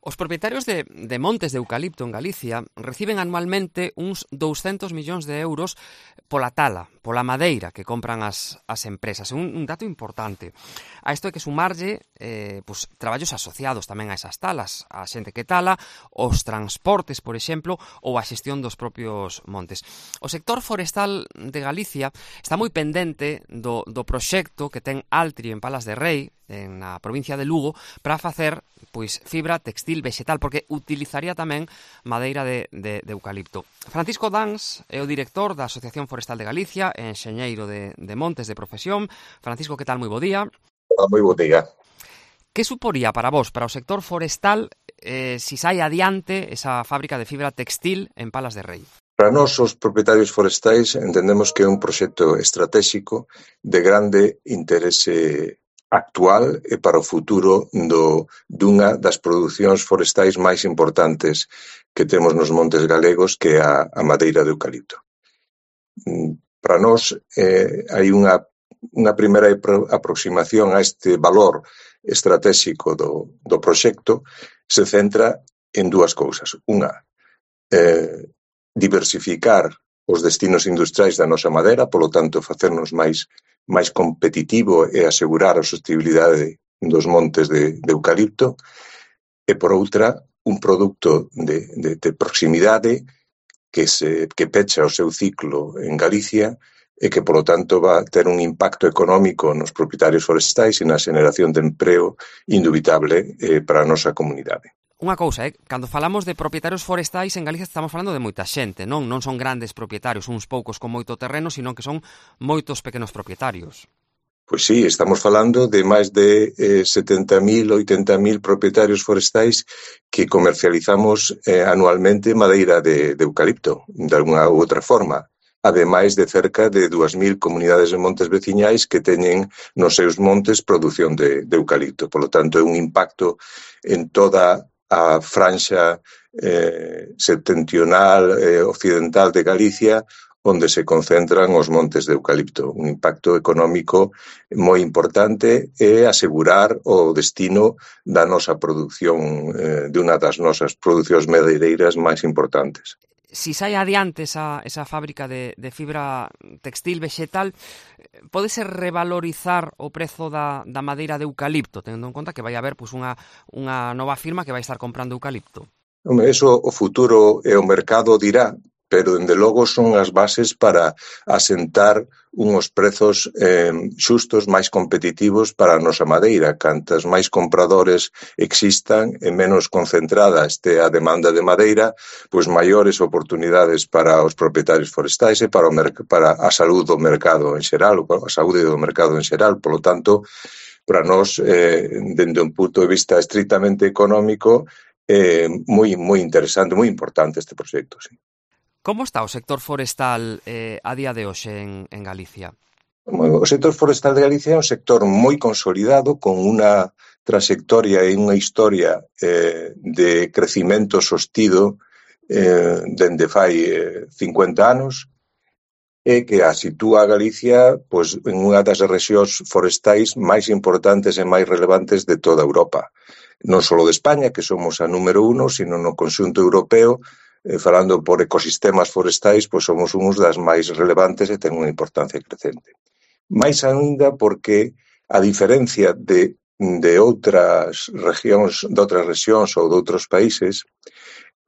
Os propietarios de montes de eucalipto en Galicia reciben anualmente uns 200 millóns de euros pola tala, pola madeira que compran as empresas. É un dato importante. A isto hai que sumarlle traballos asociados tamén a esas talas, a xente que tala, os transportes, por exemplo, ou a xestión dos propios montes. O sector forestal de Galicia está moi pendente do proxecto que ten Altri en Palas de Rei, na provincia de Lugo, para facer fibra textil vegetal, porque utilizaría tamén madeira de eucalipto. Francisco Dans é o director da Asociación Forestal de Galicia, enxeñeiro de montes de profesión. Francisco, que tal? Moi bo día. Moi bo día. Que suporía para vos, para o sector forestal, si sai adiante esa fábrica de fibra textil en Palas de Rei? Para nós, os propietarios forestais, entendemos que é un proxecto estratégico de grande interese actual e para o futuro dunha das producións forestais máis importantes que temos nos montes galegos, que é a madeira de eucalipto. Para nós hai unha primeira aproximación a este valor estratégico do proxecto, se centra en dúas cousas. Unha, diversificar os destinos industriais da nosa madeira, polo tanto, facernos máis competitivo e asegurar a sostenibilidade dos montes de eucalipto, e por outra, un produto de proximidade que pecha o seu ciclo en Galicia e que, polo tanto, va a ter un impacto económico nos propietarios forestais e na xeración de empreo indubitable para a nosa comunidade. Unha cousa, cando falamos de propietarios forestais en Galicia estamos falando de moita xente, non son grandes propietarios, uns poucos con moito terreno, sino que son moitos pequenos propietarios. Pois sí, estamos falando de máis de 70.000, 80.000 propietarios forestais que comercializamos anualmente madeira de eucalipto, de alguna ou outra forma, ademais de cerca de 2.000 comunidades de montes veciñais que teñen nos seus montes produción de eucalipto. Por lo tanto, é un impacto en toda a franxa septentrional occidental de Galicia, onde se concentran os montes de eucalipto. Un impacto económico moi importante e asegurar o destino da nosa produción, de unha das nosas producións madeireiras máis importantes. Si sai adiante esa fábrica de fibra textil vegetal, pódese revalorizar o prezo da madeira de eucalipto, tendo en conta que vai haber unha nova firma que vai estar comprando eucalipto? Eso o futuro e o mercado dirá, pero, dende logo, son as bases para asentar unhos prezos xustos máis competitivos para a nosa madeira. Cantas máis compradores existan e menos concentrada este a demanda de madeira, pois maiores oportunidades para os propietarios forestais e para a saúde do mercado en xeral, a saúde do mercado en xeral. Por lo tanto, para nós, dende un punto de vista estritamente económico, moi interesante, moi importante este proxecto, sí. Como está o sector forestal a día de hoxe en Galicia? O sector forestal de Galicia é un sector moi consolidado, con unha trayectoria e unha historia de crecimento sostido dende fai 50 anos, e que a sitúa a Galicia en unha das rexións forestais máis importantes e máis relevantes de toda Europa. Non só de España, que somos a número 1, sino no conxunto europeo. Falando por ecosistemas forestais, pois somos uns das máis relevantes e ten unha importancia crecente. Mais ainda porque, a diferencia de outras rexións ou de outros países,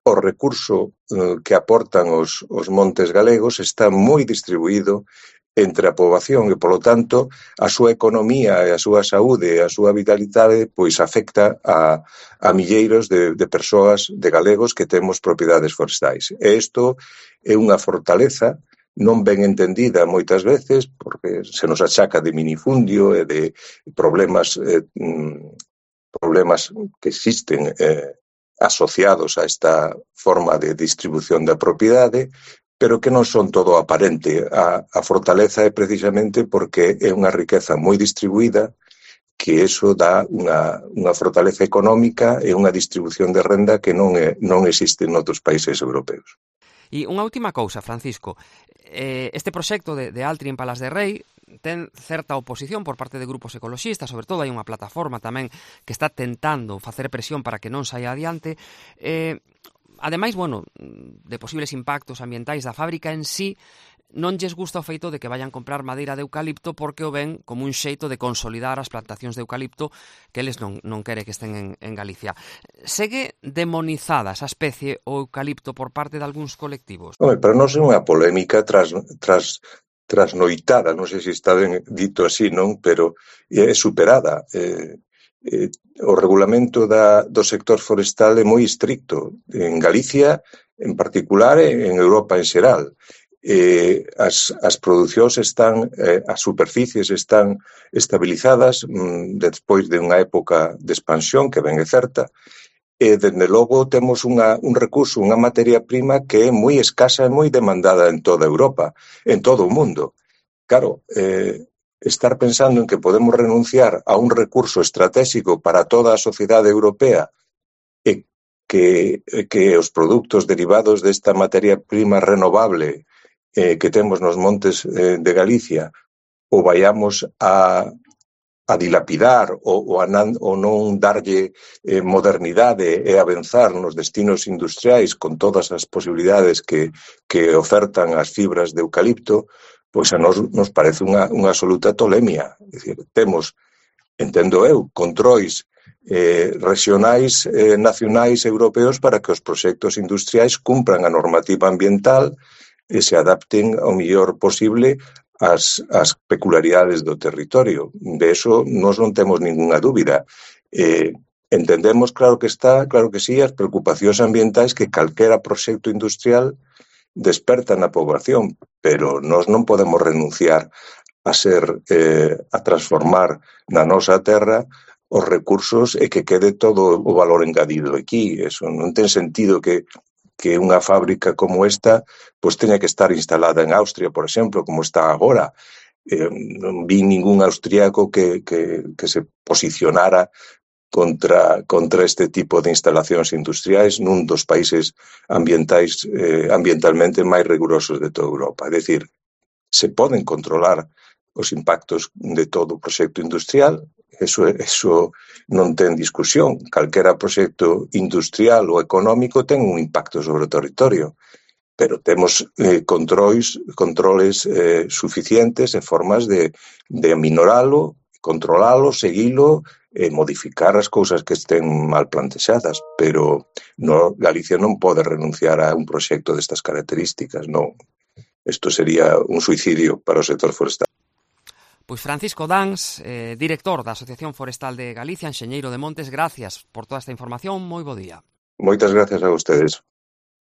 o recurso que aportan os montes galegos está moi distribuído entre a poboación e, polo tanto, a súa economía e a súa saúde e a súa vitalidade pois afecta a milleiros de persoas, de galegos que temos propiedades forestais. E isto é unha fortaleza non ben entendida moitas veces, porque se nos achaca de minifundio e de problemas que existen asociados a esta forma de distribución da propiedade, pero que non son todo aparente. A fortaleza é precisamente porque é unha riqueza moi distribuída, que eso dá unha fortaleza económica e unha distribución de renda que non existe en outros países europeos. E unha última cousa, Francisco. Este proxecto de Altri en Palas de Rei ten certa oposición por parte de grupos ecoloxistas, sobre todo hai unha plataforma tamén que está tentando facer presión para que non saia adiante. Ademais, bueno, de posibles impactos ambientais da fábrica en sí, non lles gusta o feito de que vayan comprar madeira de eucalipto porque o ven como un xeito de consolidar as plantacións de eucalipto que eles non quere que estén en Galicia. Segue demonizada esa especie o eucalipto por parte de algúns colectivos? Pero non é unha polémica trasnoitada, non sei se está ben dito así, non? Pero é superada. O regulamento do sector forestal é moi estricto. En Galicia, en particular, e en Europa en xeral. As producións están, as superficies están estabilizadas despois de unha época de expansión que ben é certa, e dende logo temos un recurso, unha materia prima que é moi escasa e moi demandada en toda Europa, en todo o mundo. Claro, estar pensando en que podemos renunciar a un recurso estratégico para toda a sociedade europea e que os produtos derivados desta materia prima renovable que temos nos montes de Galicia o vayamos a dilapidar ou non darlle modernidade e avanzar nos destinos industriais con todas as posibilidades que ofertan as fibras de eucalipto, pois a nos parece unha absoluta tolemia. É dicir, temos, entendo eu, controis regionais, nacionais, europeos para que os proxectos industriais cumpran a normativa ambiental e se adapten ao mellor posible ás peculiaridades do territorio. De eso nós non temos ninguna dúbida. Entendemos, claro que sí, as preocupacións ambientais que calquera proxecto industrial desperta na poboación, pero nós non podemos renunciar a transformar na nosa terra os recursos e que quede todo o valor engadido aquí. Eso non ten sentido que unha fábrica como esta pois teña que estar instalada en Austria, por exemplo, como está agora. Non vi ningún austríaco que se posicionara contra este tipo de instalacións industriais nun dos países ambientalmente máis rigurosos de toda Europa. É dicir, se poden controlar os impactos de todo o proxecto industrial, eso non ten discusión. Calquera proxecto industrial ou económico ten un impacto sobre o territorio, pero temos controles suficientes e formas de aminoralo, controlalo, seguilo e modificar as cousas que estén mal plantexadas, pero Galicia non pode renunciar a un proxecto destas características, non. Isto sería un suicidio para o sector forestal. Pois Francisco Dans, director da Asociación Forestal de Galicia, enxeñeiro de montes, gracias por toda esta información, moi bo día. Moitas gracias a vostedes.